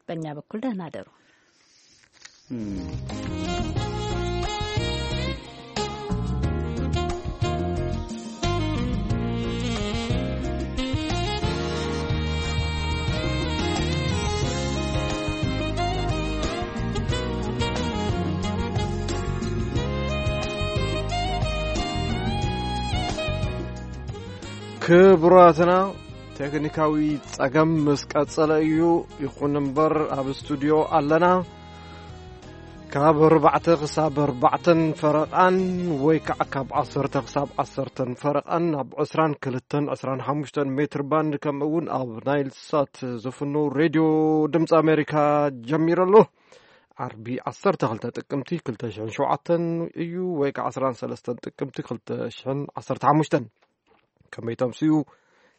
በእኛ በኩል ደህና ደሩ። ክቡራትና፣ ቴክኒካዊ ጸገም ምስ ቀጸለ እዩ። ይኹን እምበር፣ ኣብ ስቱድዮ ኣለና። ካብ ኣርባዕተ ክሳብ ኣርባዕተን ፈረቓን፣ ወይ ከዓ ካብ ዓሰርተ ክሳብ ዓሰርተን ፈረቓን፣ ኣብ ዕስራን ክልተን ዕስራን ሓሙሽተን ሜትር ባንድ፣ ከምኡ እውን ኣብ ናይል ሳት ዝፍኖ ሬድዮ ድምፂ ኣሜሪካ ጀሚሩ ኣሎ። ዓርቢ ዓሰርተ ክልተ ጥቅምቲ ክልተ ሽሕን ሸውዓተን እዩ፣ ወይ ከዓ ዕስራን ሰለስተን ጥቅምቲ ክልተ ሽሕን ዓሰርተ ሓሙሽተን። ከመይ ተምስዩ፣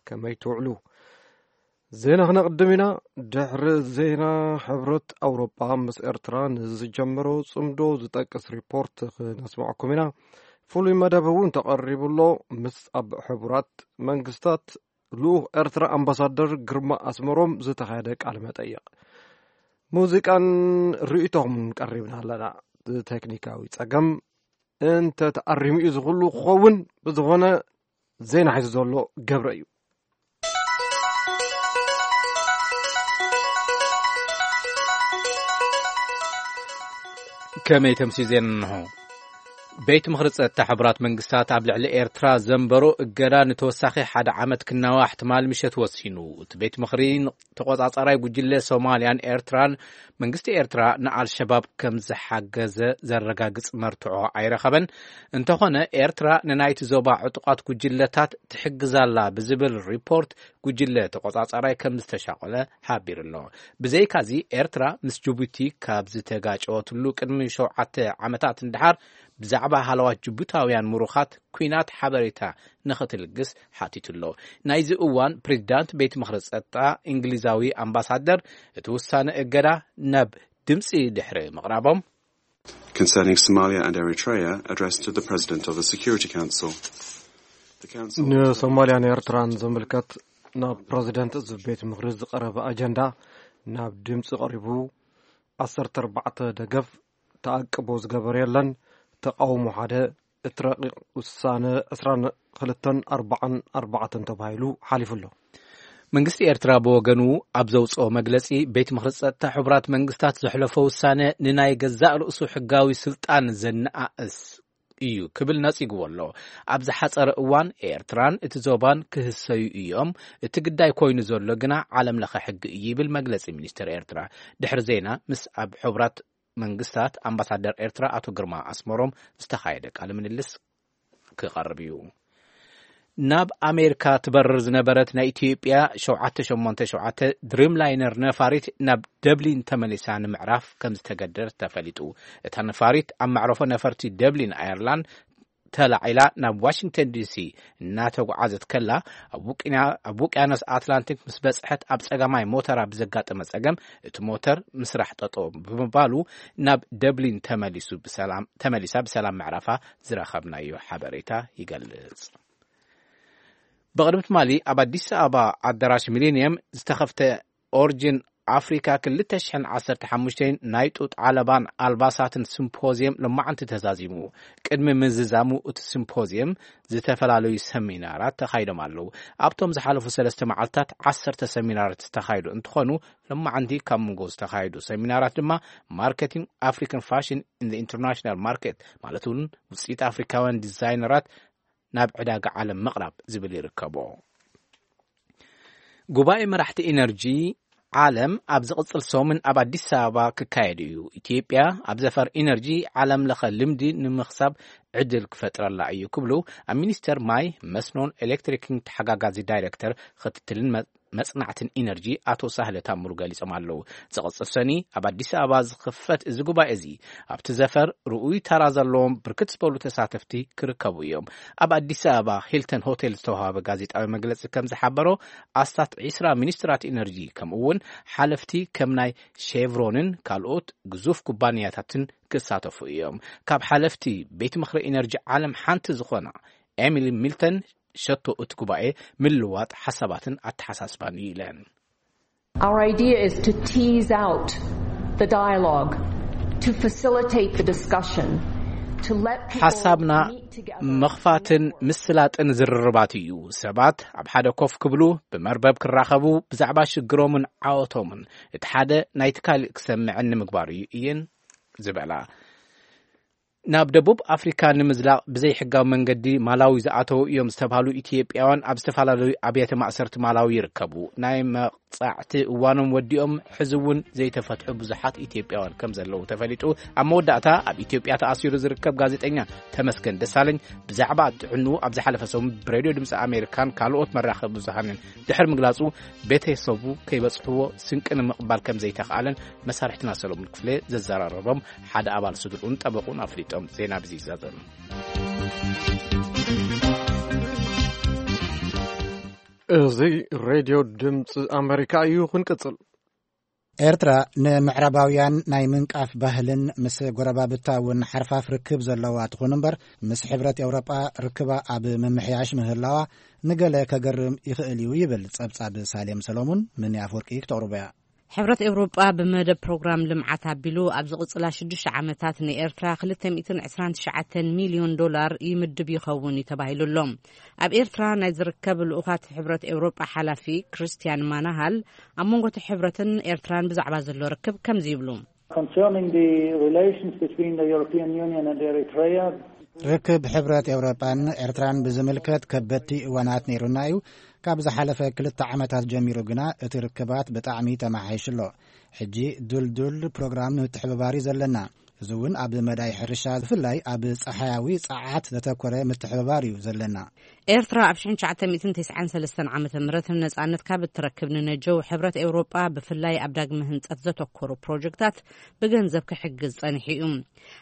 ከመይ ትውዕሉ? ዜና ክነቕድም ኢና። ድሕሪ ዜና፣ ሕብረት ኣውሮጳ ምስ ኤርትራ ንዝጀመሮ ጽምዶ ዝጠቅስ ሪፖርት ክነስምዐኩም ኢና። ፍሉይ መደብ እውን ተቐሪቡ ኣሎ። ምስ ኣብ ሕቡራት መንግስታት ልኡኽ ኤርትራ ኣምባሳደር ግርማ ኣስመሮም ዝተኻየደ ቃለ መጠይቕ፣ ሙዚቃን ርእይቶኹምን ቀሪብና ኣለና። ቴክኒካዊ ጸገም እንተ ተኣሪሙ እዩ ዝኽሉ ክኸውን። ብዝኾነ፣ ዜና ሒዙ ዘሎ ገብረ እዩ። ከመይ ተምሲ ዜና እንሆ። ቤት ምኽሪ ጸጥታ ሕቡራት መንግስታት ኣብ ልዕሊ ኤርትራ ዘንበሮ እገዳ ንተወሳኺ ሓደ ዓመት ክናዋሕ ትማል ምሸት ወሲኑ። እቲ ቤት ምኽሪ ተቖጻጻራይ ጉጅለ ሶማልያን ኤርትራን መንግስቲ ኤርትራ ንኣልሸባብ ከም ዝሓገዘ ዘረጋግጽ መርትዖ ኣይረኸበን። እንተኾነ፣ ኤርትራ ንናይቲ ዞባ ዕጡቓት ጉጅለታት ትሕግዛላ ብዝብል ሪፖርት ጉጅለ ተቖጻጻራይ ከም ዝተሻቐለ ሓቢሩ ኣሎ። ብዘይካዚ፣ ኤርትራ ምስ ጅቡቲ ካብ ዝተጋጨወትሉ ቅድሚ ሸውዓተ ዓመታት ንደሓር፣ ብዛዕባ ሃለዋት ጅቡታውያን ምሩኻት ኲናት ሓበሬታ ንኽትልግስ ሓቲቱ ኣሎ። ናይዚ እዋን ፕሬዚዳንት ቤት ምኽሪ ጸጥታ እንግሊዛዊ ኣምባሳደር እቲ ውሳነ እገዳ ናብ ድምጺ ድሕሪ ምቕራቦም፣ Concerning Somalia and Eritrea, addressed to the President of the Security Council. The Council ንሶማልያን ኤርትራን ዝምልከት ናብ ፕረዚደንት እዚ ቤት ምኽሪ ዝቐረበ ኣጀንዳ ናብ ድምፂ ቀሪቡ፣ ዓሰርተ ኣርባዕተ ደገፍ፣ ተኣቅቦ ዝገበረ የለን፣ ተቃውሞ ሓደ፣ እቲ ረቂቕ ውሳነ ዕስራን ክልተን ኣርባዓን ኣርባዕተን ተባሂሉ ሓሊፉ ኣሎ። መንግስቲ ኤርትራ ብወገኑ ኣብ ዘውፅኦ መግለፂ፣ ቤት ምኽሪ ጸጥታ ሕቡራት መንግስታት ዘሕለፎ ውሳነ ንናይ ገዛእ ርእሱ ሕጋዊ ስልጣን ዘነኣእስ እዩ ክብል ነጺግዎ ኣሎ። ኣብ ዝሓጸረ እዋን ኤርትራን እቲ ዞባን ክህሰዩ እዮም። እቲ ግዳይ ኮይኑ ዘሎ ግና ዓለም ለኸ ሕጊ እዩ ይብል መግለጺ ሚኒስትር ኤርትራ። ድሕሪ ዜና ምስ ኣብ ሕቡራት መንግስታት ኣምባሳደር ኤርትራ ኣቶ ግርማ ኣስመሮም ዝተኻየደ ቃለ ምልልስ ክቐርብ እዩ። ናብ ኣሜሪካ ትበርር ዝነበረት ናይ ኢትዮጵያ ሸውዓተ ሸሞንተ ሸውዓተ ድሪም ላይነር ነፋሪት ናብ ደብሊን ተመሊሳ ንምዕራፍ ከም ዝተገደደት ተፈሊጡ። እታ ነፋሪት ኣብ መዕረፎ ነፈርቲ ደብሊን ኣየርላንድ ተላዒላ ናብ ዋሽንግተን ዲሲ እናተጓዓዘት ከላ፣ ኣብ ውቅያ-፣ ኣብ ውቅያኖስ ኣትላንቲክ ምስ በጽሐት፣ ኣብ ጸጋማይ ሞተራ ብዘጋጠመ ጸገም እቲ ሞተር ምስራሕ ጠጠው ብምባሉ ናብ ደብሊን ተመሊሱ ብሰላም፣ ተመሊሳ ብሰላም ምዕራፋ ዝረኸብናዮ ሓበሬታ ይገልጽ። ብቕድሚ ትማሊ ኣብ ኣዲስ ኣበባ ኣዳራሽ ሚሊኒየም ዝተኸፍተ ኦርጅን ኣፍሪካ ክልተ ሽሕን ዓሰርተ ሓሙሽተን ናይ ጡጥ ዓለባን ኣልባሳትን ሲምፖዚየም ሎማዓንቲ ተዛዚሙ። ቅድሚ ምዝዛሙ እቲ ሲምፖዚየም ዝተፈላለዩ ሰሚናራት ተኻይዶም ኣለዉ። ኣብቶም ዝሓለፉ ሰለስተ መዓልታት ዓሰርተ ሰሚናራት ዝተኻየዱ እንትኾኑ፣ ሎማዓንቲ ካብ መንጎ ዝተኻየዱ ሰሚናራት ድማ ማርኬቲንግ ኣፍሪካን ፋሽን ኢን ኢንተርናሽናል ማርኬት፣ ማለት እውን ውፅኢት ኣፍሪካውያን ዲዛይነራት ናብ ዕዳጋ ዓለም ምቕራብ ዝብል ይርከቦ። ጉባኤ መራሕቲ ኢነርጂ ዓለም ኣብ ዝቕጽል ሰሙን ኣብ ኣዲስ ኣበባ ክካየድ እዩ። ኢትዮጵያ ኣብ ዘፈር ኢነርጂ ዓለም ለኸ ልምዲ ንምኽሳብ ዕድል ክፈጥረላ እዩ ክብሉ ኣብ ሚኒስቴር ማይ፣ መስኖን ኤሌክትሪክን ተሓጋጋዚ ዳይሬክተር ክትትልን መ-፣ መጽናዕትን ኢነርጂ ኣቶ ሳህለ ታምሩ ገሊጾም ኣለዉ። ዝቕጽል ሰኒ ኣብ ኣዲስ ኣበባ ዝኽፈት እዚ ጉባኤ እዚ ኣብቲ ዘፈር ርኡይ ተራ ዘለዎም ብርክት ዝበሉ ተሳተፍቲ ክርከቡ እዮም። ኣብ ኣዲስ ኣበባ ሂልተን ሆቴል ዝተዋሃበ ጋዜጣዊ መግለጺ ከም ዝሓበሮ፣ ኣስታት ዒስራ ሚኒስትራት ኢነርጂ ከምኡ እውን ሓለፍቲ ከም ናይ ሼቭሮንን ካልኦት ግዙፍ ኩባንያታትን ክሳተፉ እዮም። ካብ ሓለፍቲ ቤት ምኽሪ ኢነርጂ ዓለም ሓንቲ ዝኾና ኤሚሊ ሚልተን ሸቶ እቲ ጉባኤ ምልዋጥ ሓሳባትን ኣተሓሳስባን እዩ ኢለን። Our idea is to tease out the dialogue, to facilitate the discussion, to let people ሓሳብና meet together. ምኽፋትን ምስላጥን ዝርርባት እዩ። ሰባት ኣብ ሓደ ኮፍ ክብሉ፣ ብመርበብ ክራኸቡ፣ ብዛዕባ ሽግሮምን ዓወቶምን እቲ ሓደ ናይቲ ካልእ ክሰምዕን ንምግባር እዩ እየን ዝበላ። ናብ ደቡብ ኣፍሪካ ንምዝላቕ ብዘይሕጋዊ መንገዲ ማላዊ ዝኣተዉ እዮም ዝተባህሉ ኢትዮጵያውያን ኣብ ዝተፈላለዩ ኣብያተ ማእሰርቲ ማላዊ ይርከቡ። ናይ መቕጻዕቲ እዋኖም ወዲኦም ሕዚ እውን ዘይተፈትሑ ብዙሓት ኢትዮጵያውያን ከም ዘለዉ ተፈሊጡ። ኣብ መወዳእታ ኣብ ኢትዮጵያ ተኣሲሩ ዝርከብ ጋዜጠኛ ተመስገን ደሳለኝ ብዛዕባ ጥዕንኡ ኣብ ዝሓለፈ ሰሙን ብሬድዮ ድምፂ ኣሜሪካን ካልኦት መራኸቢ ብዙሃንን ድሕሪ ምግላጹ፣ ቤተሰቡ ከይበጽሕዎ ስንቂ ንምቕባል ከም ዘይተኽኣለን መሳርሕትና ሰሎሙን ክፍለ ዘዘራረቦም ሓደ ኣባል ስድርኡን ጠበቑን ኣፍሊጦም። ዜና ብዚ ይዛዘም። እዚ ሬድዮ ድምፂ ኣሜሪካ እዩ። ክንቅፅል። ኤርትራ ንምዕራባውያን ናይ ምንቃፍ ባህልን ምስ ጎረባብታ እውን ሓርፋፍ ርክብ ዘለዋ ትኹን እምበር፣ ምስ ሕብረት ኤውሮጳ ርክባ ኣብ ምምሕያሽ ምህላዋ ንገለ ከገርም ይኽእል እዩ ይብል ጸብጻብ ሳሌም ሰሎሙን። ምን ኣፍወርቂ ክተቕርቦ እያ። ሕብረት ኤውሮጳ ብመደብ ፕሮግራም ልምዓት ኣቢሉ ኣብ ዝቕጽላ ሽዱሽተ ዓመታት ንኤርትራ ክልተ ሚእትን ዕስራን ትሽዓተን ሚልዮን ዶላር ይምድብ ይኸውን እዩ ተባሂሉ ኣሎ። ኣብ ኤርትራ ናይ ዝርከብ ልኡኻት ሕብረት ኤውሮጳ ሓላፊ ክርስቲያን ማናሃል ኣብ መንጎ እቲ ሕብረትን ኤርትራን ብዛዕባ ዘሎ ርክብ ከምዚ ይብሉ። Concerning the relations between the European Union and Eritrea, ርክብ ሕብረት ኤውሮጳን ኤርትራን ብዝምልከት ከበድቲ እዋናት ነይሩና እዩ። ካብ ዝሓለፈ ክልተ ዓመታት ጀሚሩ ግና እቲ ርክባት ብጣዕሚ ተመሓይሹ ኣሎ። ሕጂ ዱልዱል ፕሮግራም ምትሕብባር እዩ ዘለና። እዚ እውን ኣብ መዳይ ሕርሻ፣ ብፍላይ ኣብ ጸሓያዊ ጸዓት ዘተኮረ ምትሕብባር እዩ ዘለና። ኤርትራ ኣብ ሽሕን ትሽዓተ ሚእትን ተስዓን ሰለስተን ዓመተ ምህረት ነጻነት ካብ እትረክብ ንነጀው ሕብረት ኤውሮጳ ብፍላይ ኣብ ዳግመ ህንጸት ዘተኮሩ ፕሮጀክታት ብገንዘብ ክሕግዝ ጸኒሑ እዩ።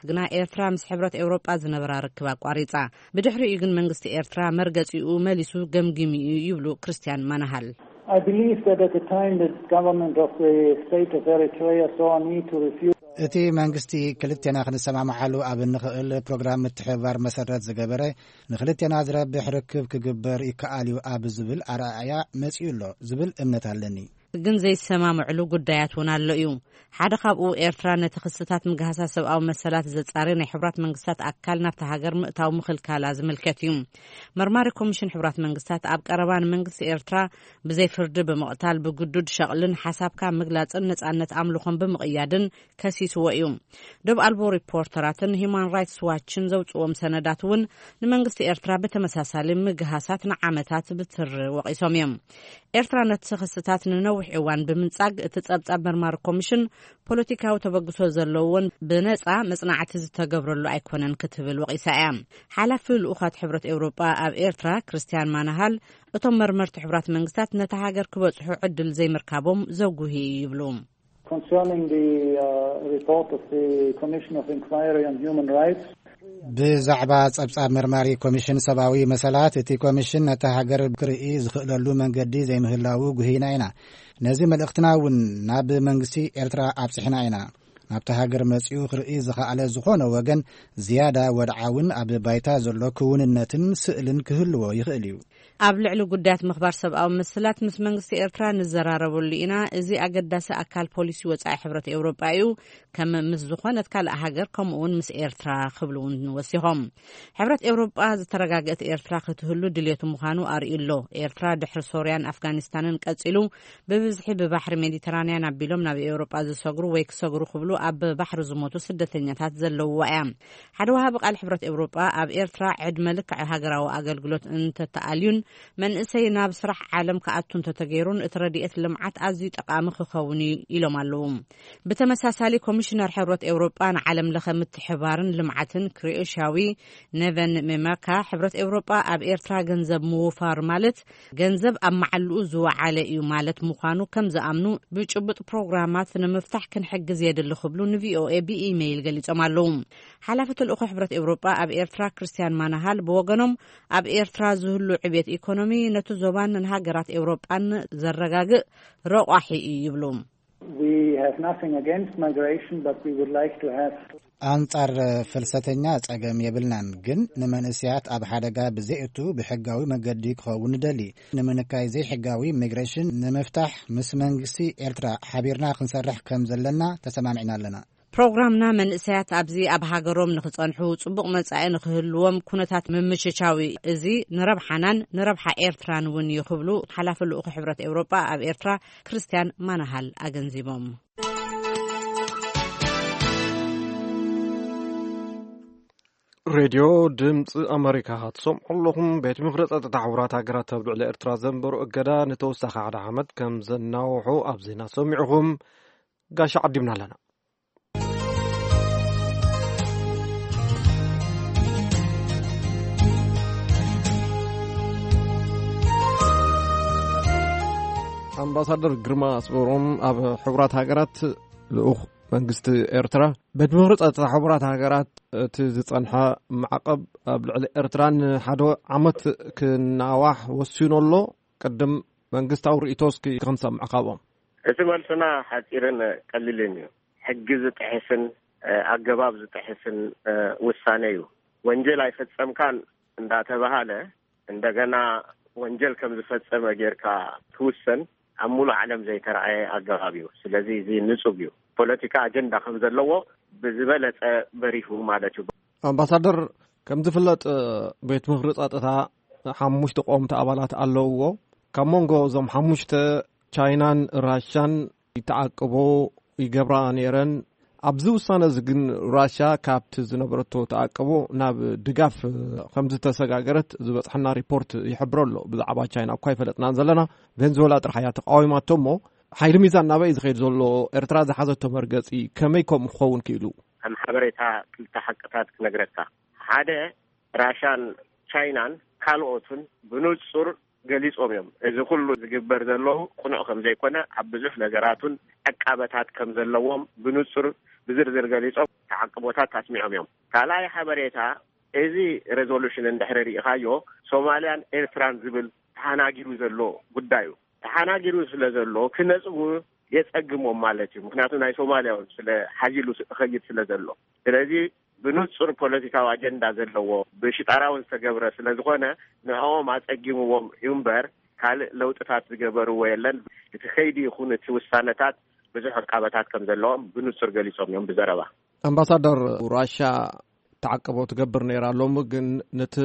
ግና ኤርትራ ምስ ሕብረት ኤውሮጳ ዝነበራ ርክብ ኣቋሪጻ። ብድሕሪኡ ግን መንግስቲ ኤርትራ መርገጺኡ መሊሱ ገምጊሙ እዩ ይብሉ ክርስቲያን ማናሃል። I believe that at the time the government of the state of Eritrea saw a need to refuse. እቲ መንግስቲ ክልቴና ክንሰማምዓሉ ኣብ እንኽእል ፕሮግራም ምትሕብባር መሰረት ዝገበረ፣ ንክልቴና ዝረብሕ ርክብ ክግበር ይከኣል እዩ ኣብ ዝብል ኣረኣእያ መጺኡ ኣሎ ዝብል እምነት ኣለኒ። ግን ዘይሰማምዕሉ ጉዳያት እውን ኣሎ እዩ። ሓደ ካብኡ ኤርትራ ነቲ ክስታት ምግሃሳ ሰብኣዊ መሰላት ዘጻሪ ናይ ሕቡራት መንግስታት ኣካል ናብታ ሃገር ምእታው ምኽልካላ ዝምልከት እዩ። መርማሪ ኮሚሽን ሕቡራት መንግስታት ኣብ ቀረባ ንመንግስቲ ኤርትራ ብዘይ ፍርዲ ብምቕታል፣ ብግዱድ ሸቕልን ሓሳብካ ምግላጽን ነጻነት ኣምልኾን ብምቕያድን ከሲስዎ እዩ። ዶብ ኣልቦ ሪፖርተራትን ሂዩማን ራይትስ ዋችን ዘውጽዎም ሰነዳት እውን ንመንግስቲ ኤርትራ ብተመሳሳሊ ምግሃሳት ንዓመታት ብትሪ ወቒሶም እዮም። ኤርትራ ነቲ ክስታት ንነዊሕ እዋን ብምንጻግ፣ እቲ ጸብጻብ መርማሪ ኮሚሽን ፖለቲካዊ ተበግሶ ዘለዎን ብነጻ መጽናዕቲ ዝተገብረሉ ኣይኮነን ክትብል ወቒሳ እያ። ሓላፊ ልኡኻት ሕብረት ኤውሮጳ ኣብ ኤርትራ ክርስቲያን ማናሃል፣ እቶም መርመርቲ ሕቡራት መንግስታት ነታ ሃገር ክበጽሑ ዕድል ዘይምርካቦም ዘጉሂ እዩ ይብሉ። Concerning the uh, report of the Commission of Inquiry on Human Rights, ብዛዕባ ጸብጻብ መርማሪ ኮሚሽን ሰብኣዊ መሰላት፣ እቲ ኮሚሽን ነታ ሃገር ክርኢ ዝኽእለሉ መንገዲ ዘይምህላዉ ጉሂና ኢና። ነዚ መልእኽትና እውን ናብ መንግስቲ ኤርትራ ኣብጽሕና ኢና። ናብታ ሃገር መጺኡ ክርኢ ዝኸኣለ ዝኾነ ወገን ዝያዳ ወድዓውን ኣብ ባይታ ዘሎ ክውንነትን ስእልን ክህልዎ ይኽእል እዩ። ኣብ ልዕሊ ጉዳያት ምኽባር ሰብኣዊ መሰላት ምስ መንግስቲ ኤርትራ ንዘራረበሉ ኢና። እዚ ኣገዳሲ ኣካል ፖሊሲ ወጻኢ ሕብረት ኤውሮጳ እዩ። ከም ምስ ዝኾነት ካልእ ሃገር፣ ከምኡውን ምስ ኤርትራ ክብሉ እውን ወሲኾም። ሕብረት ኤውሮጳ ዝተረጋገእት ኤርትራ ክትህሉ ድልየቱ ምዃኑ ኣርእዩ ኣሎ። ኤርትራ ድሕሪ ሶርያን ኣፍጋኒስታንን ቀጺሉ ብብዝሒ ብባሕሪ ሜዲተራንያን ኣቢሎም ናብ ኤውሮጳ ዝሰግሩ ወይ ክሰግሩ ክብሉ ኣብ ባሕሪ ዝሞቱ ስደተኛታት ዘለውዋ እያ። ሓደ ወሃቢ ቃል ሕብረት ኤውሮጳ ኣብ ኤርትራ ዕድመ ልክዕ ሃገራዊ ኣገልግሎት እንተተኣልዩን መንእሰይ ናብ ስራሕ ዓለም ክኣቱ እንተተገይሩን እቲ ረድኤት ልምዓት ኣዝዩ ጠቓሚ ክኸውን እዩ ኢሎም ኣለዉ። ብተመሳሳሊ ኮሚሽነር ሕብረት ኤውሮጳ ንዓለም ለኸ ምትሕባርን ልምዓትን ክሮኤሽያዊ ኔቨን ሜማካ፣ ሕብረት ኤውሮጳ ኣብ ኤርትራ ገንዘብ ምውፋር ማለት ገንዘብ ኣብ መዓልኡ ዝወዓለ እዩ ማለት ምዃኑ ከም ዝኣምኑ፣ ብጭቡጥ ፕሮግራማት ንምፍታሕ ክንሕግዝ የድሊ ክብሉ ንቪኦኤ ብኢሜይል ገሊጾም ኣለዉ። ሓላፊ ተልእኾ ሕብረት ኤውሮጳ ኣብ ኤርትራ ክርስቲያን ማናሃል ብወገኖም፣ ኣብ ኤርትራ ዝህሉ ዕብየት ኢኮኖሚ ነቲ ዞባን ንሃገራት ኤውሮጳን ዘረጋግእ ረቋሒ እዩ ይብሉ። We have nothing against migration, but we would like to have ኣንጻር ፍልሰተኛ ጸገም የብልናን፣ ግን ንመንእሰያት ኣብ ሓደጋ ብዘይእቱ ብሕጋዊ መገዲ ክኸውን ንደሊ። ንምንካይ ዘይሕጋዊ ሚግሬሽን ንምፍታሕ ምስ መንግስቲ ኤርትራ ሓቢርና ክንሰርሕ ከም ዘለና ተሰማሚዕና ኣለና። ፕሮግራምና መንእሰያት ኣብዚ ኣብ ሃገሮም ንኽጸንሑ ጽቡቕ መጻኢ ንኽህልዎም ኩነታት ምምችቻው እዚ ንረብሓናን ንረብሓ ኤርትራን እውን እዩ ክብሉ ሓላፊ ልኡኽ ሕብረት ኤውሮጳ ኣብ ኤርትራ ክርስቲያን ማናሃል ኣገንዚቦም። ሬድዮ ድምፂ ኣሜሪካ ትሰምዑ ኣለኹም። ቤት ምኽሪ ፀጥታ ሕቡራት ሃገራት ኣብ ልዕሊ ኤርትራ ዘንበሩ እገዳ ንተወሳኺ ሓደ ዓመት ከም ዘናውሑ ኣብ ዜና ሰሚዕኹም። ጋሻ ዓዲምና ኣለና። ኣምባሳደር ግርማ ኣስመሮም ኣብ ሕቡራት ሃገራት ልኡኽ መንግስቲ ኤርትራ፣ ቤት ምኽሪ ጸጥታ ሕቡራት ሃገራት እቲ ዝጸንሐ ማዕቐብ ኣብ ልዕሊ ኤርትራ ንሓደ ዓመት ክናዋሕ ወሲኑ ኣሎ። ቅድም መንግስታዊ ርእይቶ እስኪ ክንሰምዕ ካብኦም። እቲ መልስና ሓጺርን ቀሊልን እዩ። ሕጊ ዝጥሕስን፣ እ፣ ኣገባብ ዝጥሕስን፣ እ፣ ውሳነ እዩ። ወንጀል ኣይፈጸምካን እንዳተባሃለ እንደገና ወንጀል ከም ዝፈጸመ ጌርካ ክውሰን ኣብ ሙሉእ ዓለም ዘይተረኣየ ኣገባብ እዩ። ስለዚ እዚ ንጹግ እዩ። ፖለቲካ ኣጀንዳ ከም ዘለዎ ብዝበለጸ በሪሁ ማለት እዩ። ኣምባሳደር፣ ከም ዝፍለጥ ቤት ምኽሪ ጸጥታ ሓሙሽተ ቀወምቲ ኣባላት ኣለውዎ። ካብ መንጎ እዞም ሓሙሽተ ቻይናን ራሻን ይተዓቅቦ ይገብራ ነይረን። ኣብዚ ውሳነ እዚ ግን ራሻ ካብቲ ዝነበረቶ ተዓቅቦ ናብ ድጋፍ ከም ዝተሰጋገረት ዝበጽሐና ሪፖርት ይሕብሮ ኣሎ። ብዛዕባ ቻይና እኳ ይፈለጥናን ዘለና፣ ቬንዙዌላ ጥራሕ እያ ተቃዊማቶ እሞ፣ ሓይሊ ሚዛን ናበይ እዩ ዝኸይድ ዘሎ? ኤርትራ ዝሓዘቶ መርገጺ ከመይ ከምኡ ክኸውን ክኢሉ? ከም ሓበሬታ ክልተ ሓቅታት ክነግረካ። ሓደ፣ ራሻን ቻይናን ካልኦቱን ብንጹር ገሊጾም እዮም። እዚ ኩሉ ዝግበር ዘሎ ቅኑዕ ከም ዘይኮነ፣ ኣብ ብዙሕ ነገራቱን ዕቃበታት ከም ዘለዎም ብንጹር ብዝርዝር ገሊጾም ተዓቅቦታት ኣስሚዖም እዮም። ካልኣይ ሓበሬታ፣ እዚ ሬዞሉሽን እንድሕሪ ርኢኻዮ፣ ሶማልያን ኤርትራን ዝብል ተሓናጊሩ ዘሎ ጉዳዩ። ተሓናጊሩ ስለ ዘሎ ክነጽጉ የጸግሞም ማለት እዩ። ምክንያቱ ናይ ሶማልያ እውን ስለ ሓዚሉ ስ-፣ ኸይድ ስለ ዘሎ። ስለዚ ብንጹር ፖለቲካዊ ኣጀንዳ ዘለዎ ብሽጣራ እውን ዝተገብረ ስለ ዝኾነ ንዕኦም ኣጸጊምዎም እዩ እምበር ካልእ ለውጥታት ዝገበርዎ የለን። እቲ ከይዲ ይኹን እቲ ውሳነታት ብዙሕ ዕቃበታት ከም ዘለዎም ብንጹር ገሊጾም እዮም ብዘረባ። ኣምባሳደር፣ ራሻ ተዓቅቦ ትገብር ነይራ፣ ሎሚ ግን ነቲ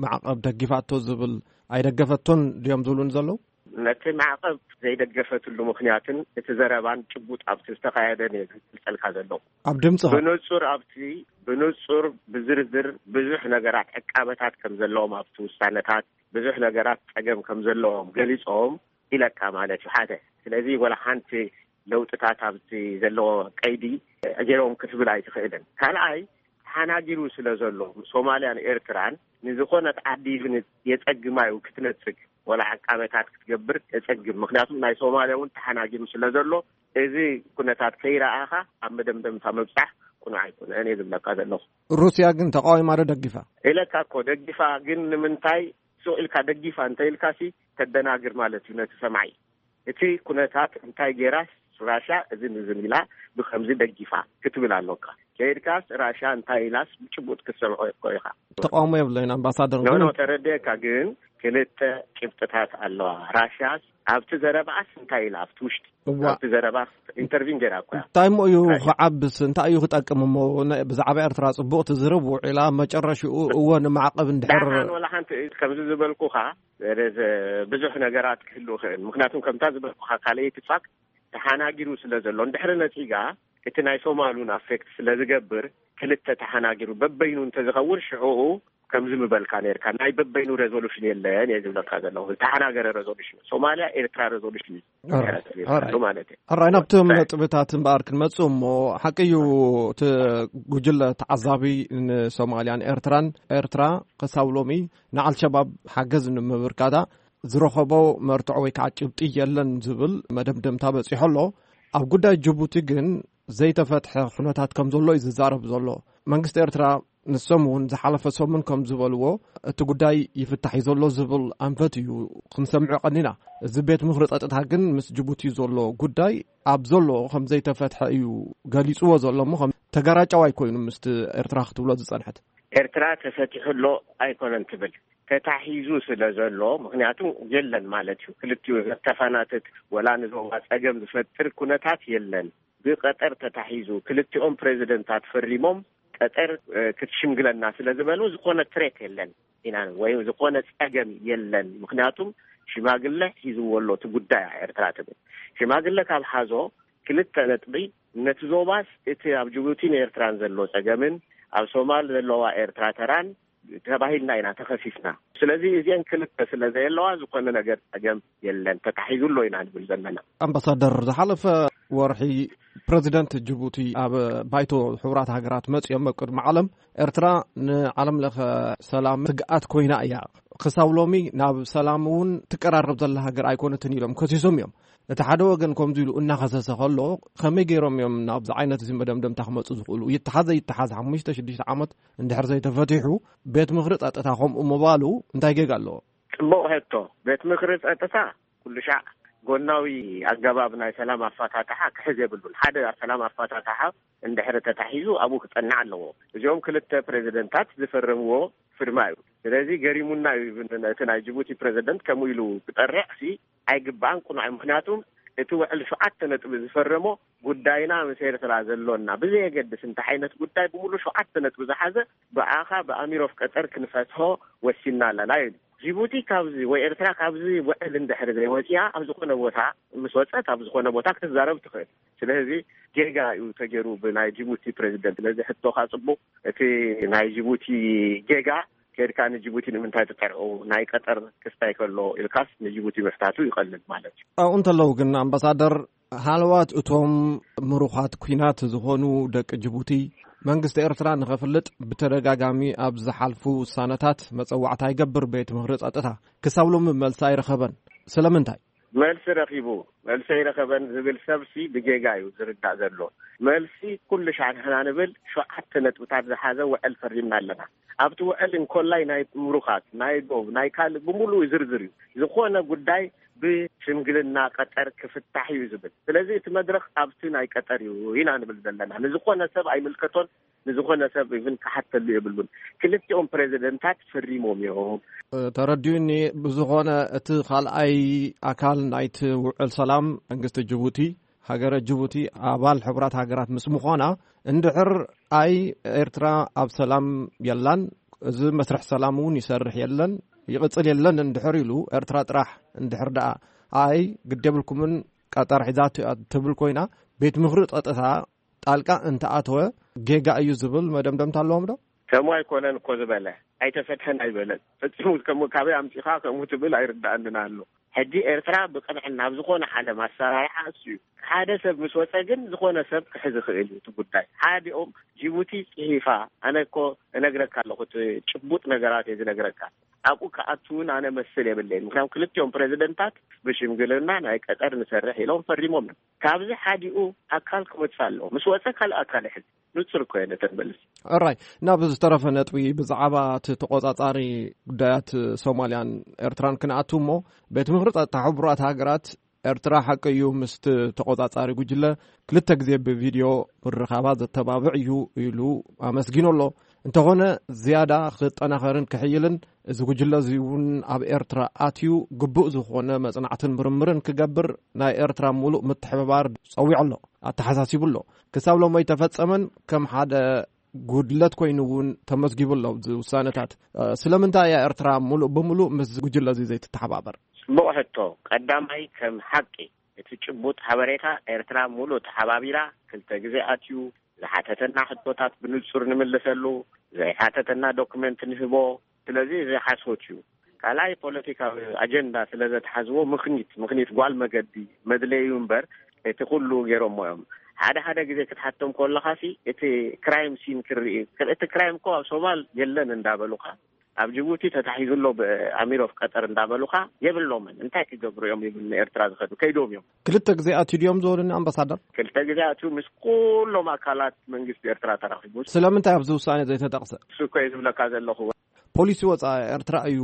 ማዕቐብ ደጊፋቶ ዝብል ኣይደገፈቶን ድዮም ዝብሉን ዘለዉ? ነቲ ማዕቐብ ዘይደገፈትሉ ምኽንያትን እቲ ዘረባን ጭቡጥ ኣብቲ ዝተኻየደ ነየ ዝገልጸልካ ዘለኹ። ኣብ ድምፂ ኸ? ብንጹር ኣብቲ፣ ብንጹር ብዝርዝር ብዙሕ ነገራት ዕቃበታት ከም ዘለዎም ኣብቲ ውሳነታት ብዙሕ ነገራት ጸገም ከም ዘለዎም ገሊጾም ኢለካ ማለት እዩ ሓደ። ስለዚ ወላ ሓንቲ ለውጥታት ኣብቲ ዘለዎ ቀይዲ ገይሮም ክትብል ኣይትኽእልን። ካልኣይ ተሓናጊሩ ስለ ዘሎ ሶማልያን ኤርትራን ንዝኾነት ዓዲ ይብን የጸግማ እዩ ክትነጽግ ወላ ዕቃበታት ክትገብር የጸግም። ምክንያቱም ናይ ሶማልያ እውን ተሓናጊሩ ስለ ዘሎ እዚ ኩነታት ከይረኣኻ ኣብ መደምደምታ ምብጻሕ ቅኑዕ ኣይኮነን እየ ዝብለካ ዘለኹ። ሩስያ ግን ተቃዊማ ዶ ደጊፋ? ኢለካ እኮ ደጊፋ፣ ግን ንምንታይ ሱቕ ኢልካ ደጊፋ እንተ ኢልካሲ ተደናግር ማለት እዩ ነቲ ሰማዒ። እቲ ኩነታት እንታይ ጌራስ ራሻ እዝን እዝን ኢላ ብኸምዚ ደጊፋ ክትብል ኣሎካ። ከይድካስ ራሻ እንታይ ኢላስ ብጭቡጥ ክትሰምዖ እኮ ኢኻ። ተቃውሞ የብለይን ኣምባሳደር፣ ኖ፣ ግን ኖ፣ ተረድኤካ፣ ግን ክልተ ጭብጥታት ኣለዋ። ራሻስ ኣብቲ ዘረባኣስ እንታይ ኢላ ኣብቲ ውሽጢ እዋ። ኣብቲ ዘረባ ኢንተርቪን ጌራ እኮ እያ። እንታይ እሞ እዩ ራሻ። ክዓብስ? እንታይ እዩ ክጠቅም እሞ? ነ-፣ ብዛዕባ ኤርትራ ጽቡቕ ትዝረብ ውዒላ፣ መጨረሽኡ እወ ንማዕቐብ እንድሕር ደሓን ወላ ሓንቲ ከምዚ ዝበልኩኻ፣ ረ-፣ ብዙሕ ነገራት ክህሉ ይኽእል። ምክንያቱም ከምታ ዝበልኩኻ ካልኣይቲ ፋክት ተሓናጊሩ ስለ ዘሎ፣ እንድሕሪ ነጺጋ እቲ ናይ ሶማሉን ኣፌክት ስለ ዝገብር፣ ክልተ ተሓናጊሩ በበይኑ እንተዝኸውን ሽዑኡ ከምዚ ምበልካ ነርካ፣ ናይ በበይኑ ሬዞሉሽን የለን እየ ዝብለካ ዘለኹ። ዝተሓናገረ ሬዞሉሽን፣ ሶማልያ ኤርትራ ሬዞሉሽን እዩ ኦራይት፣ ዝብለካ ኦራይት። ማለት እዩ። ኣራይ፣ ናብቶም ኦራይት። ነጥብታት እምበኣር ክንመጽእ እሞ፣ ሓቂ እዩ እቲ ጉጅለ ተዓዛቢ ንሶማልያን ኤርትራን፣ ኤርትራ ክሳብ ሎሚ ንኣልሸባብ ሓገዝ ንምብርካታ ዝረኸቦ መርትዖ ወይ ከዓ ጭብጢ የለን ዝብል መደምደምታ በጺሑ ኣሎ። ኣብ ጉዳይ ጅቡቲ ግን ዘይተፈትሐ ኩነታት ከም ዘሎ እዩ ዝዛረብ ዘሎ። መንግስቲ ኤርትራ ንሶም እውን ዝሓለፈ ሰሙን ከም ዝበልዎ፣ እቲ ጉዳይ ይፍታሕ እዩ ዘሎ ዝብል ኣንፈት እዩ ክንሰምዖ ቀኒና። እዚ ቤት ምኽሪ ጸጥታ ግን ምስ ጅቡቲ ዘሎ ጉዳይ ኣብ ዘሎ ከም ዘይተፈትሐ እዩ ገሊጽዎ ዘሎ እሞ፣ ከም ተጋራጫዋይ ኮይኑ ምስቲ ኤርትራ ክትብሎ ዝጸንሐት። ኤርትራ ተፈቲሑ ኣሎ ኣይኮነን ትብል፣ ተታሒዙ ስለ ዘሎ። ምኽንያቱ የለን ማለት እዩ። ክልቲኡ ዘተፋናትት ወላ ንዞባ ጸገም ዝፈጥር ኩነታት የለን። ብቀጠር ተታሒዙ፣ ክልቲኦም ፕሬዚደንታት ፈሪሞም፣ ቀጠር ክትሽምግለና ስለ ዝበሉ ዝኾነ ትሬት የለን ኢና፣ ወይ ዝኾነ ጸገም የለን። ምኽንያቱም ሽማግለ ሒዝዎ ኣሎ እቲ ጉዳይ ኤርትራ ትብል። ሽማግለ ካብ ሓዞ፣ ክልተ ነጥቢ፣ ነቲ ዞባስ እቲ ኣብ ጅቡቲን ኤርትራን ዘሎ ጸገምን ኣብ ሶማል ዘለዋ ኤርትራ ተራን ተባሂልና ኢና ተኸሲስና። ስለዚ እዚአን ክልተ ስለ ዘየለዋ ዝኾነ ነገር ጸገም የለን፣ ተታሒዙ ኣሎ ኢና ንብል ዘለና። ኣምባሳደር፣ ዝሓለፈ ወርሒ ፕረዚደንት ጅቡቲ ኣብ ባይቶ ሕቡራት ሃገራት መጺኦም ኣብ ቅድሚ ዓለም፣ ኤርትራ ንዓለም ለኸ ሰላም ስግኣት ኮይና እያ፣ ክሳብ ሎሚ ናብ ሰላም እውን ትቀራረብ ዘላ ሃገር ኣይኮነትን ኢሎም ከሲሶም እዮም። እቲ ሓደ ወገን ከምዚ ኢሉ እናኸሰሰ ከሎ፣ ከመይ ገይሮም እዮም ናብዚ ዓይነት እዚ መደምደምታ ክመጹ ዝኽእሉ? ይተሓዘ ይተሓዝ ሓሙሽተ ሽዱሽተ ዓመት እንድሕር ዘይተፈቲሑ፣ ቤት ምኽሪ ጸጥታ ከምኡ ምባሉ እንታይ ጌጋ ኣለዎ? ጽቡቕ ሕቶ። ቤት ምኽሪ ጸጥታ ኩሉ ሻዕ ጎናዊ ኣገባብ ናይ ሰላም ኣፈታትሓ ክሕዝ የብሉን። ሓደ ሰላም ኣፈታትሓ እንድሕር ተታሒዙ ኣብኡ ክጸንዕ ኣለዎ። እዚኦም ክልተ ፕሬዚደንታት ዝፈረምዎ ፍርማ እዩ። ስለዚ ገሪሙና እዩ። እቲ ናይ ጅቡቲ ፕሬዚደንት ከምኡ ኢሉ ክጠርዕ ሲ ኣይግባእን፣ ቅኑዕ እዩ። ምኽንያቱም እቲ ውዕል ሸውዓተ ነጥቢ ዝፈረሞ፣ ጉዳይና ምስ ኤርትራ ዘሎና ብዘየገድስ እንታይ ዓይነት ጉዳይ ብምሉእ ሸውዓተ ነጥቢ ዝሓዘ፣ ብኣኻ ብኣሚር ኦፍ ቀጠር ክንፈትሖ ወሲና ኣለና ኢሉ። ጅቡቲ ካብዚ ወይ ኤርትራ ካብዚ ውዕል እንድሕር ዘይወፅያ፣ ኣብ ዝኾነ ቦታ ምስ ወፀት ኣብ ዝኾነ ቦታ ክትዛረብ ትኽእል። ስለዚ ጌጋ እዩ ተገይሩ ብናይ ጅቡቲ ፕሬዚደንት። ስለዚ ሕቶኻ ጽቡቕ፣ እቲ ናይ ጅቡቲ ጌጋ፣ ከድካ ንጅቡቲ ንምንታይ ትጠርዑ፣ ናይ ቀጠር ክስታይ ከሎ ኢልካስ ንጅቡቲ ምሕታቱ ይቐልል ማለት እዩ። ኣብኡ እንተለዉ ግን ኣምባሳደር፣ ሃለዋት እቶም ምሩኻት ኲናት ዝኾኑ ደቂ ጅቡቲ፣ መንግስቲ ኤርትራ ንኸፍልጥ ብተደጋጋሚ ኣብ ዝሓልፉ ውሳነታት መጸዋዕታ ይገብር ቤት ምኽሪ ጸጥታ። ክሳብ ሎሚ መልሲ ኣይረኸበን። ስለምንታይ? መልሲ ረኺቡ፣ መልሲ ኣይረኸበን ዝብል ሰብሲ ብጌጋ እዩ ዝርዳእ ዘሎ። መልሲ ኩሉ ሻዕ ንሕና ንብል ሸውዓተ ነጥብታት ዝሓዘ ውዕል ፈሪምና ኣለና። ኣብቲ ውዕል እንኮላይ ናይ ምሩኻት፣ ናይ ዶብ፣ ናይ ካልእ ብምሉእ ዝርዝር እዩ። ዝኾነ ጉዳይ ብሽምግልና ቀጠር ክፍታሕ እዩ ዝብል። ስለዚ እቲ መድረኽ ኣብቲ ናይ ቀጠር እዩ ኢና ንብል ዘለና። ንዝኾነ ሰብ ኣይምልከቶን፣ ንዝኾነ ሰብ ኢቭን ክሓተሉ የብሉን። ክልቲኦም ፕሬዚደንታት ፈሪሞም እዮም። ተረዲኡኒ። ብዝኾነ እቲ ካልኣይ ኣካል ናይቲ ውዕል ሰላም መንግስቲ ጅቡቲ፣ ሃገረ ጅቡቲ ኣባል ሕቡራት ሃገራት ምስ ምዃና፣ እንድሕር ኣይ ኤርትራ ኣብ ሰላም የላን፣ እዚ መስርሕ ሰላም እውን ይሰርሕ የለን፣ ይቕጽል የለን እንድሕር ኢሉ፣ ኤርትራ ጥራሕ እንድሕር ደኣ ኣይ ግድ የብልኩምን ቀጠር ሒዛቶ እያ ትብል ኮይና፣ ቤት ምኽሪ ጸጥታ ጣልቃ እንተኣተወ ጌጋ እዩ ዝብል መደምደምታ ኣለዎም ዶ? ከምኡ ኣይኮነን እኮ ዝበለ፣ ኣይተፈትሐን ኣይበለን። ፈጺሙ ከምኡ ካበይ ኣምጺኻ ከምኡ ትብል ኣይርድኣንን ኣሎ። ሕጂ ኤርትራ ብቕንዕና ኣብ ዝኾነ ዓለም ኣሰራርሓ እሱ እዩ። ሓደ ሰብ ምስ ወጸ ግን ዝኾነ ሰብ ክሕዝ ይኽእል እዩ እቲ ጉዳይ። ሓዲኦም ጅቡቲ ጽሒፋ፣ ኣነ እኮ እነግረካ ኣለኹ፣ እቲ ጭቡጥ ነገራት እየ ዝነግረካ። ኣብኡ ክኣቱ እውን ኣነ መስል የብለይን። ምክንያቱ ክልቲኦም ፕሬዚደንታት ብሽምግልና ናይ ቀጠር ንሰርሕ ኢሎም ፈሪሞም እዮም። ካብዚ ሓዲኡ ኣካል ክመጽእ ኣለዎ። ምስ ወጸ ካልእ ኣካል ይሕዝ። ንጹር እኮ እየ ነተን መልስ። ኦራይ፣ ናብ ዝተረፈ ነጥቢ ብዛዕባ እቲ ተቆጻጻሪ ጉዳያት ሶማልያን ኤርትራን ክንኣቱ እሞ፣ ቤት ምኽሪ ጸጥታ ሕቡራት ሃገራት ኤርትራ ሓቂ እዩ ምስቲ ተቆጻጻሪ ጉጅለ ክልተ ግዜ ብቪድዮ ምርኻባ ዘተባብዕ እዩ ኢሉ ኣመስጊኑ ኣሎ። እንተኾነ ዝያዳ ክጠናኸርን ክሕይልን፣ እዚ ጉጅለ እዚ እውን ኣብ ኤርትራ ኣትዩ ግቡእ ዝኾነ መጽናዕትን ምርምርን ክገብር ናይ ኤርትራ ሙሉእ ምትሕብባር ጸዊዑ ኣሎ፣ ኣተሓሳሲቡ ኣሎ። ክሳብ ሎሚ ኣይተፈጸመን፣ ከም ሓደ ጉድለት ኮይኑ እውን ተመዝጊቡ ኣሎ ኣብዚ ውሳነታት። እ፣ ስለምንታይ እያ ኤርትራ ሙሉእ ብሙሉእ ምስ ጉጅለ እዚ ዘይትተሓባበር? ጽቡቕ ሕቶ። ቀዳማይ፣ ከም ሓቂ እቲ ጭቡጥ ሓበሬታ፣ ኤርትራ ሙሉእ ተሓባቢራ፣ ክልተ ግዜ ኣትዩ ዝሓተተና ሕቶታት ብንጹር ንምልሰሉ፣ ዘይሓተተና ዶክመንት ንህቦ። ስለዚ እዚ ሓሶት እዩ። ካልኣይ፣ ፖለቲካዊ ኣጀንዳ ስለ ዘትሓዝዎ፣ ምኽኒት፣ ምኽኒት ጓል መገዲ መድለዩ እምበር፣ እቲ ኩሉ ገይሮሞ እዮም። ሓደ ሓደ ግዜ ክትሓቶም ከለኻሲ፣ እቲ ክራይም ሲን ክርኢ፣ እቲ ክራይም እኮ ኣብ ሶማል የለን እንዳበሉኻ፣ ኣብ ጅቡቲ ተታሒዙ ኣሎ ብኣሚር ኦፍ ቀጠር እንዳበሉኻ የብሎምን። እንታይ ክገብሩ እዮም ይብል ንኤርትራ ዝኸዱ ከይዶም እዮም። ክልተ ግዜ ኣትዩ ድዮም ዝበሉኒ ኣምባሳደር? ክልተ ግዜ ኣትዩ ምስ ኩሎም ኣካላት መንግስቲ ኤርትራ ተራኺቡ። ስለምንታይ ኣብዚ ውሳኔ ዘይተጠቕሰ? እሱ እኮ እየ ዝብለካ ዘለኹ። ፖሊሲ ወፃኢ ኤርትራ እዩ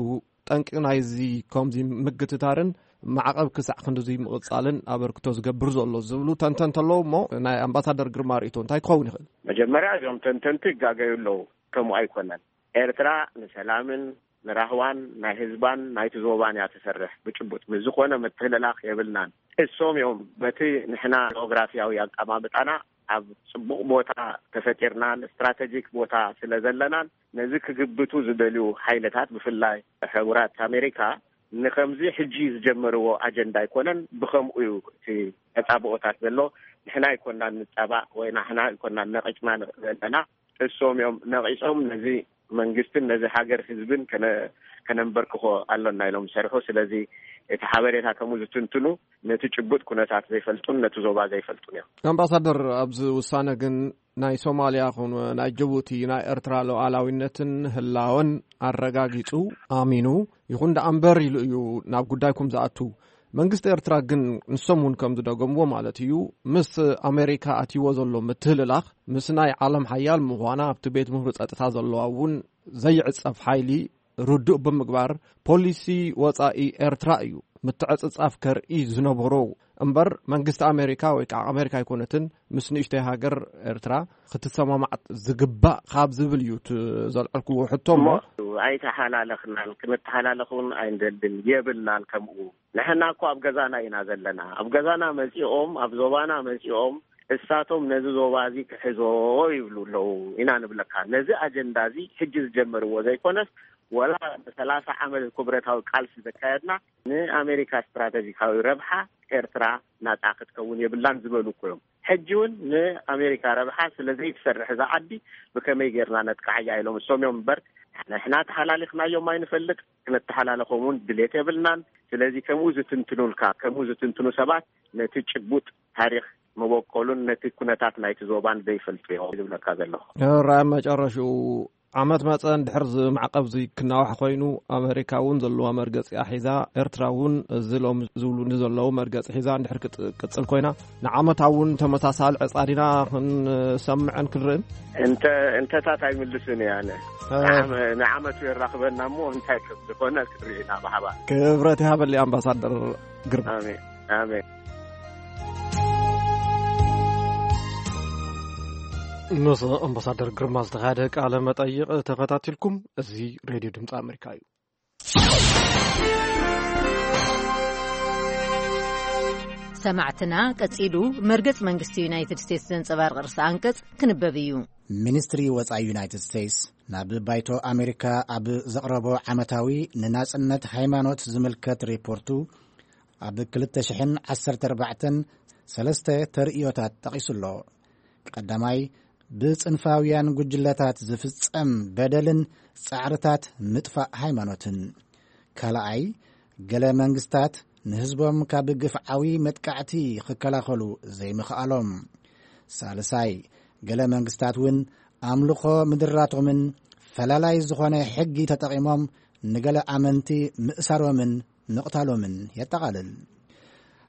ጠንቂ ናይዚ ከምዚ ምግትታርን ማዕቐብ ክሳዕ ክንድዚ ምቕፃልን ኣበርክቶ ዝገብር ዘሎ ዝብሉ ተንተንቲ ኣለዉ። እሞ ናይ ኣምባሳደር ግርማ ርእይቶ እንታይ ክኸውን ይኽእል? መጀመርያ እዞም ተንተንቲ ይጋገዩ ኣለዉ። ከምኡ ኣይኮነን። ኤርትራ ንሰላምን ንራህዋን ናይ ህዝባን ናይቲ ዞባን እያ ትሰርሕ። ብጭቡጥ ምስ ዝኾነ ምትህልላኽ የብልናን። እሶም እዮም በቲ ንሕና ጂኦግራፊያዊ ኣቀማምጣና ኣብ ጽቡቕ ቦታ ተፈጢርናን ስትራቴጂክ ቦታ ስለ ዘለናን ነዚ ክግብቱ ዝደልዩ ሓይልታት ብፍላይ ሕቡራት ኣሜሪካ ንኸምዚ ሕጂ ዝጀመርዎ ኣጀንዳ ኣይኮነን። ብኸምኡ እዩ እቲ ተጻብኦታት ዘሎ። ንሕና ኣይኮናን ንጻባእ ወይ ንሕና ኣይኮናን ነቒጽና ዘለና። እሶም እዮም ነቒጾም ነዚ መንግስትን ነዚ ሃገር ህዝብን ከነ-፣ ከነንበርክኾ ኣሎና ኢሎም ዝሰርሑ። ስለዚ እቲ ሓበሬታ ከምኡ ዝትንትኑ ነቲ ጭቡጥ ኩነታት ዘይፈልጡን ነቲ ዞባ ዘይፈልጡን እዮም። ኣምባሳደር፣ ኣብዚ ውሳነ ግን ናይ ሶማልያ ኹን ናይ ጅቡቲ ናይ ኤርትራ ሉዓላዊነትን ህላወን ኣረጋጊጹ ኣሚኑ ይኹን ደኣ እምበር ኢሉ እዩ ናብ ጉዳይኩም ዝኣቱ። መንግስቲ ኤርትራ ግን ንሶም እውን ከም ዝደገምዎ ማለት እዩ፣ ምስ ኣሜሪካ ኣትይዎ ዘሎ ምትህልላኽ ምስ ናይ ዓለም ሓያል ምዃና ኣብቲ ቤት ምኽሪ ጸጥታ ዘለዋ እውን ዘይዕጸፍ ሓይሊ ርዱእ ብምግባር ፖሊሲ ወጻኢ ኤርትራ እዩ ምትዕጽጻፍ ከርኢ ዝነበሮ እምበር መንግስቲ ኣሜሪካ ወይ ከዓ ኣሜሪካ ኣይኮነትን ምስ ንእሽተይ ሃገር ኤርትራ ክትሰማማዕ ዝግባእ ካብ ዝብል እዩ እቲ ዘልዐልክዎ ሕቶ እሞ እሞ ኣይተሓላለኽናን ክንተሓላለኽ እውን ኣይንደልን የብልናን። ከምኡ ንሕና እኮ ኣብ ገዛና ኢና ዘለና። ኣብ ገዛና መጺኦም ኣብ ዞባና መጺኦም እሳቶም ነዚ ዞባ እዚ ክሕዞ ይብሉ ኣለዉ ኢና ንብለካ። ነዚ ኣጀንዳ እዚ ሕጂ ዝጀመርዎ ዘይኮነስ ወላ ንሰላሳ ዓመት ክብረታዊ ቃልሲ ዘካየድና ንኣሜሪካ ስትራተጂካዊ ረብሓ ኤርትራ ናጻ ክትከውን የብላን ዝበሉ እኮ እዮም። ሕጂ እውን ንኣሜሪካ ረብሓ ስለ ዘይትሰርሕ እዛ ዓዲ ብከመይ ጌርና ነጥቃዓያ ኢሎም እሶም እዮም እምበር ንሕና ተሓላሊኽናዮም ኣይንፈልጥ፣ ክነተሓላለኾም እውን ድሌት የብልናን። ስለዚ ከምኡ ዝትንትኑልካ ከምኡ ዝትንትኑ ሰባት ነቲ ጭቡጥ ታሪኽ መበቆሉን ነቲ ኩነታት ናይቲ ዞባን ዘይፈልጡ እዮም ዝብለካ ዘለኹ። ራብ መጨረሽኡ ዓመት መጸ እንድሕር እዚ ማዕቀብ እዚ ክናዋሕ ኮይኑ ኣመሪካ እውን ዘለዋ መርገጺ ኣሒዛ ኤርትራ እውን እዚ ሎም ዝብሉ ንዘለዉ መርገጺ ሒዛ እንድሕር ክትቅጽል ኮይና ንዓመታ እውን ተመሳሳሊ ዕጻ ዲና ክንሰምዕን ክንርእን? እንተ እንተታት ኣይምልስን እየ ኣነ። እ። ንዓመ-፣ ንዓመቱ የራኽበና እሞ እንታይ ከም ዝኾነ ክንርኢ ኢና ብሓባር። ክብረት ይሃበሊ ኣምባሳደር ግርማ። ኣሜን። ኣሜን። ምስ ኣምባሳደር ግርማ ዝተኻየደ ቃለ መጠይቕ ተኸታቲልኩም። እዚ ሬድዮ ድምፂ ኣሜሪካ እዩ። ሰማዕትና፣ ቀጺሉ መርገጽ መንግስቲ ዩናይትድ ስቴትስ ዘንጸባርቕ ርእሰ ኣንቀጽ ክንበብ እዩ። ሚኒስትሪ ወጻኢ ዩናይትድ ስቴትስ ናብ ባይቶ ኣሜሪካ ኣብ ዘቕረቦ ዓመታዊ ንናጽነት ሃይማኖት ዝምልከት ሪፖርቱ፣ ኣብ ክልተ ሽሕን ዓሰርተ ኣርባዕተን ሰለስተ ተርእዮታት ጠቒሱ ኣሎ። ቀዳማይ፣ ብጽንፋውያን ጉጅለታት ዝፍጸም በደልን ጻዕርታት ምጥፋእ ሃይማኖትን። ካልኣይ፣ ገለ መንግስታት ንህዝቦም ካብ ግፍዓዊ መጥቃዕቲ ክከላኸሉ ዘይምኽኣሎም። ሳልሳይ፣ ገለ መንግስታት እውን ኣምልኾ ምድራቶምን ፈላላይ ዝኾነ ሕጊ ተጠቒሞም ንገለ ኣመንቲ ምእሳሮምን ምቕታሎምን የጠቓልል።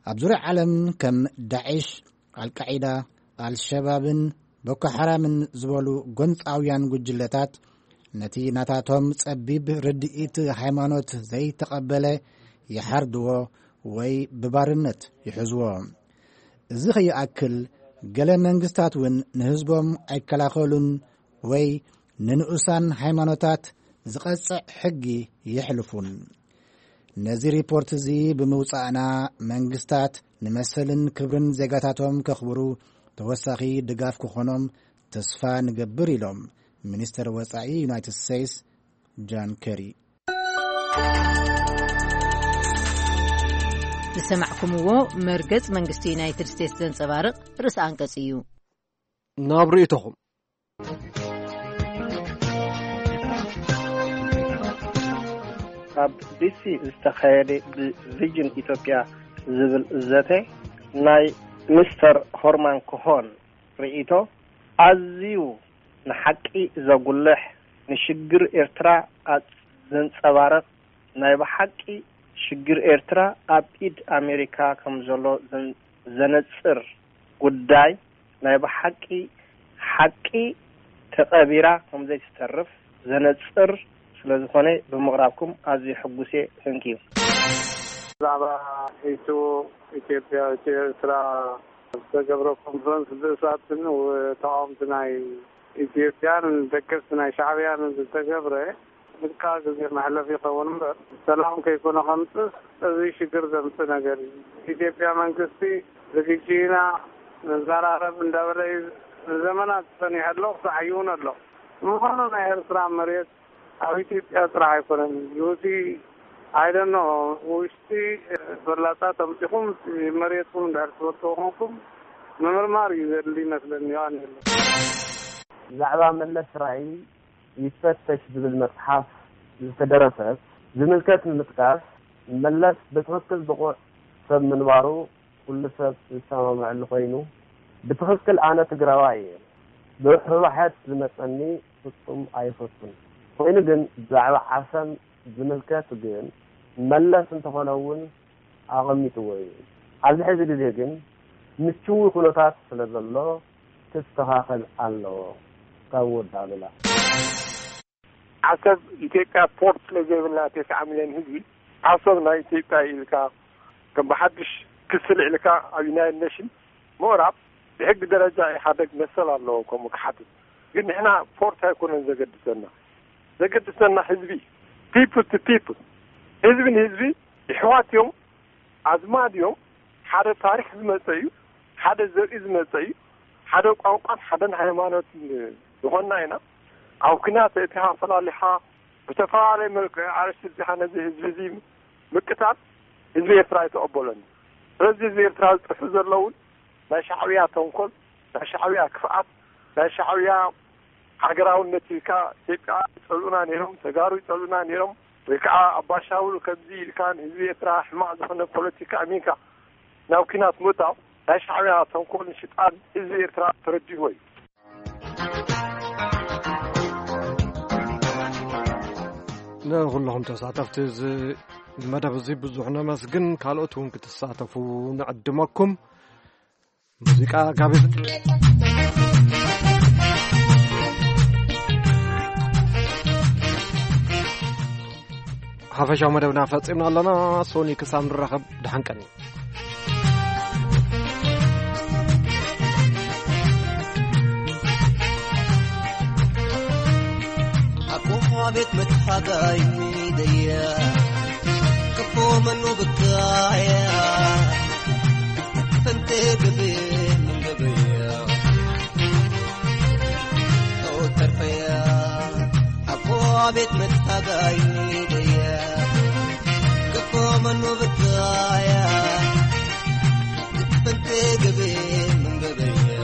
ኣብ ዙርያ ዓለም ከም ዳዒሽ፣ ኣልቃዒዳ፣ ኣልሸባብን ቦኮ ሓራምን ዝበሉ ጎንጻውያን ጉጅለታት ነቲ ናታቶም ጸቢብ ርድኢት ሃይማኖት ዘይተቐበለ ይሓርድዎ ወይ ብባርነት ይሕዝዎ። እዚ ከይኣክል፣ ገለ መንግስታት እውን ንህዝቦም ኣይከላኸሉን ወይ ንንኡሳን ሃይማኖታት ዝቐጽዕ ሕጊ የሕልፉን። ነዚ ሪፖርት እዚ ብምውጻእና፣ መንግስታት ንመሰልን ክብርን ዜጋታቶም ከኽብሩ ተወሳኺ ድጋፍ ክኾኖም ተስፋ ንገብር ኢሎም ሚኒስተር ወጻኢ ዩናይትድ ስቴትስ ጃን ከሪ። ዝሰማዕኩምዎ መርገጽ መንግስቲ ዩናይትድ ስቴትስ ዘንጸባርቕ ርእሰ ኣንቀጽ እዩ። ናብ ርእይቶኹም። ኣብ ዲሲ ዝተኻየደ ብቪዥን ኢትዮጵያ ዝብል ዘተ ናይ ሚስተር ሆርማን ኮሆን ርእይቶ ኣዝዩ ንሓቂ ዘጉልሕ፣ ንሽግር ኤርትራ ኣጽ-፣ ዘንጸባርቕ፣ ናይ ብሓቂ ሽግር ኤርትራ ኣብ ኢድ ኣሜሪካ ከም ዘሎ ዘን-፣ ዘነጽር ጉዳይ፣ ናይ ብሓቂ ሓቂ ተቐቢራ ከም ዘይትተርፍ ዘነጽር ስለ ዝኾነ ብምቕራብኩም ኣዝዩ ሕጉስ እየ። Thank you። ብዛዕባ ኢትዮ፣ ኢትዮጵያ፣ ኢትዮ ኤርትራ ዝተገብረ ኮንፈረንስ ብእሳትን ተቃወምቲ ናይ ኢትዮጵያን ደገፍቲ ናይ ሻዕብያን ዝተገብረ ምትካ ግዜ መሕለፊ ይኸውን እምበር፣ ሰላም ከይኮነ ከምፅእ፣ እዚ ሽግር ዘምፅእ ነገር እዩ። ኢትዮጵያ መንግስቲ ዝግጅ ኢና፣ ንዘራረብ እንዳበለ እዩ ንዘመናት ጸኒሑ ኣሎ፣ ክሳዕ ሕጂ እውን ኣሎ። ንምዃኑ ናይ ኤርትራ መሬት ኣብ ኢትዮጵያ ጥራሕ ኣይኮነን። ጅቡቲ፣ I don't know፣ ውሽጢ ፈላጻት ኣምጺኹም መሬትኩም እንድሕር ትፈልጥዎ ኮንኩም ምምርማር እዩ ዘድሊ ይመስለኒ። ዮሃንስ። ብዛዕባ መለስ ራእይ ይፈተሽ ዝብል መጽሓፍ ዝተደረሰት ዝምልከት ንምጥቃስ፣ መለስ ብትኽክል ብቑዕ ሰብ ምንባሩ ኩሉ ሰብ ዝሰማምዐሉ ኮይኑ፣ ብትኽክል ኣነ ትግራዋይ እየ። ብርሕራሐት ዝመጸኒ ፍጹም ኣይፈቱን። ኮይኑ ግን ብዛዕባ ዓሰብ ዝምልከት ግን መለስ እንተኾነ እውን ኣቐሚጥዎ እዩ። ኣብዚ ሕዚ ግዜ ግን ምችዊ ኩነታት ስለ ዘሎ ክስተኻኸል ኣለዎ። ካብ ወዲ ኣሉላ። ዓሰብ ኢትዮጵያ ፖርት ስለ ዘይብልና ተስዓ ሚልዮን ህዝቢ ዓሰብ ናይ ኢትዮጵያ ኢልካ ከም ብሓድሽ ክሲ ልዕልካ ኣብ ዩናይትድ ኔሽን ምቕራብ ብሕጊ ደረጃ ኢህኣደግ መሰል ኣለዎ ከምኡ ክሓትት። ግን ንሕና ፖርት ኣይኮነን ዘገድሰና። ዘገድሰና ህዝቢ፣ people to people፣ ህዝቢ ንህዝቢ ይሕዋት እዮም፣ ኣዝማድ እዮም። ሓደ ታሪኽ ዝመጸ እዩ፣ ሓደ ዘርኢ ዝመጸ እዩ፣ ሓደ ቋንቋን ሓደን ሃይማኖትን ዝኾንና ኢና። ኣብ ኲናት ኣእቲኻ ፈላሊኻ ብተፈላለየ መልክዕ ኣርእስቲ ኣውጺኻ ነዚ ህዝቢ እዚ ምቅታል ህዝቢ ኤርትራ ኣይተቐበሎን። ስለዚ ህዝቢ ኤርትራ ዝጥርሑ ዘለውን ናይ ሻዕብያ ተንኮል፣ ናይ ሻዕብያ ክፍኣት፣ ናይ ሻዕብያ ሃገራውነት ኢልካ ኢትዮጵያ ይጸልኡና ነይሮም፣ ተጋሩ ይጸልኡና ነይሮም፣ ወይ ከዓ ኣባሻውል ከምዚ ኢልካ ንህዝቢ ኤርትራ ሕማቕ ዝኾነ ፖለቲካ ኣሚንካ ናብ ኲናት ምእታው ናይ ሻዕብያ ተንኮልን ሽጣን ህዝቢ ኤርትራ ተረዲእዎ እዩ። ንኹልኹም ተሳተፍቲ እዚ መደብ እዚ ብዙሕ ነመስግን። ካልኦት እውን ክትሳተፉ ንዕድመኩም። ሙዚቃ ጋቢዝ። ሓፈሻዊ መደብና ፈጺምና ኣለና። ሶኒ ክሳብ ንራኸብ፣ ደሓን ቀኒ። ኣቦ ቤት መትሓጋይ ደያ፣ ክፎ መኑ ብካያ፣ ፈንቴ ግዜ ምን ገበያ፣ ተወተርፈያ፣ ኣቦ ቤት መትሓጋይ ደያ፣ ክፎ መኑ ብካያ፣ ፈንቴ ግዜ ምን ገበያ፣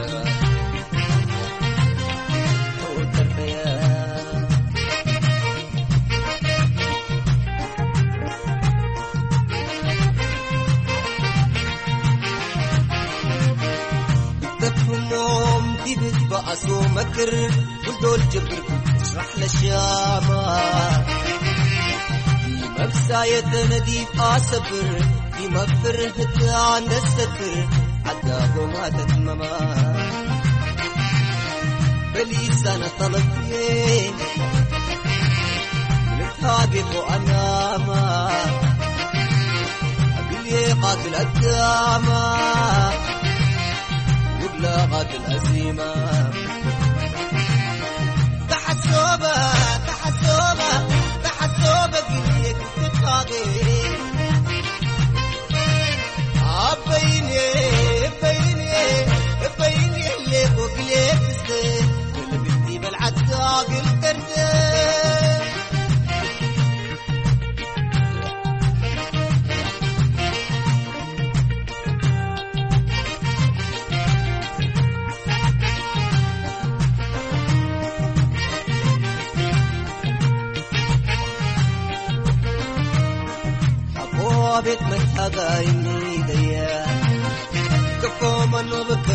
ተወተርፈያ። ተትህሞም ዲብ ህዝቢ ኣስዮ መክር፣ ጉልዶል ጀብር ስራሕ ለሻማ። መብሳየተ ነዲፍ ኣሰብር፣ ይመፍር ህዳን ደሰፍር፣ ዓዳጎማ ተትመማ። በሊሳነ ጠለቤ ልታቤ ፎኣናማ። ኣግልዬ ቃትል ኣዳማ። ውብላ ቃትል ኣዚማ። ተሓሶበ፣ ተሓሶበ፣ ተሓሶበ ግልዬ ክትታገ። ኣበይኔ፣ በይኔ፣ በይኔ ሌቆ ግሌ ክስተ፣ ግልብቲ በልዓት ጋግል ቀርደ። ኣቦ ቤት መታጋይ ደያ፣ ክፎ መኖ ብካ